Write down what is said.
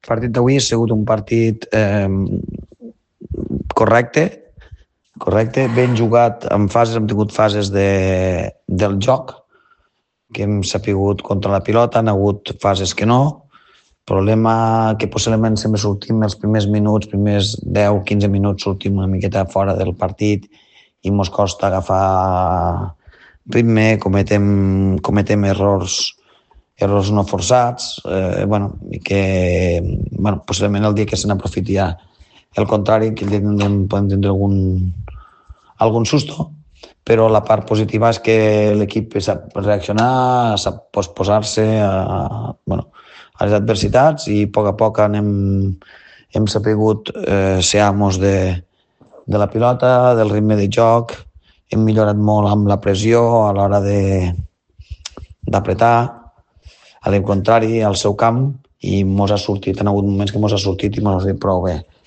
partit d'avui ha sigut un partit correcte, ben jugat en fases, hem tingut fases del joc, que hem sapigut contra la pilota, han hagut fases que no. Problema que possiblement sempre sortim els primers minuts, primers 10-15 minuts sortim una miqueta fora del partit i mos costa agafar ritme, cometem errors no forçats, i que possiblement el dia que se n'aprofiti ja el contrari, que el dia podem tindre algun susto, però la part positiva és que l'equip sap reaccionar, sap posposar-se a les adversitats i a poc hem sapigut ser amos de la pilota, del ritme de joc, hem millorat molt amb la pressió a l'hora d'apretar, al contrari, al seu camp, i han hagut moments que mos ha sortit i mos ha sortit prou bé.